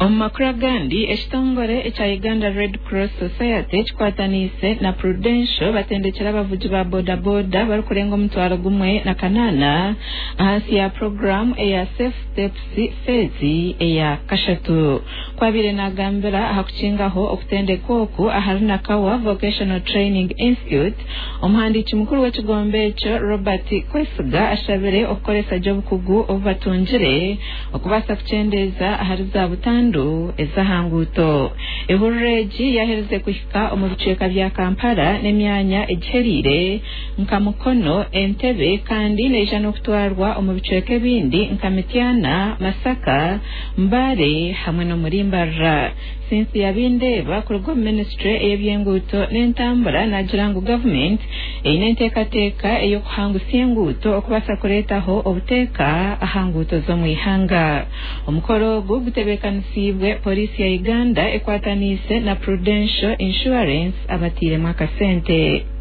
Omu makuru agandi, ekitongore ekya Uganda Red Cross Society kikwataniise na Prudential batendekire abavugi ba boda boda barikurenga 1800 ahansi ya puroguraamu eya Safe Steps feezi eya kashatu. Ku abaire nagambira aha kukingaho okutendekwa oku ahari Nakawa Vocational Training Institute, omuhandiiki mukuru w'ekigombe ekyo Robert Kwesiga ashabire okukoresa gye obukugu obu batungire okubaasa kukyendeeza ahari za butandu ez'aha nguuto. Ehururu egi yaherize kuhika omu bicweka bya Kampala n'emyanya egiheriire nka Mukono, Entebbe kandi neija n'okutwarwa omu bicweka ebindi nka Mityana, Masaka, Mbale hamwe n'omuri Mbarara. Cynthia Bindeeba kuruga omu minisiture ey'ebyenguuto n'entambura naagira ngu gavumenti eine enteekateeka ey'okuhangusya enguuto okubaasa kureetaho obuteeka aha nguuto z'omu ihanga. Omukoro ogu gutebeekanisiibwe Pooriisi ya Uganda ekwataniise na Prudential Insurance abatairemu akasente.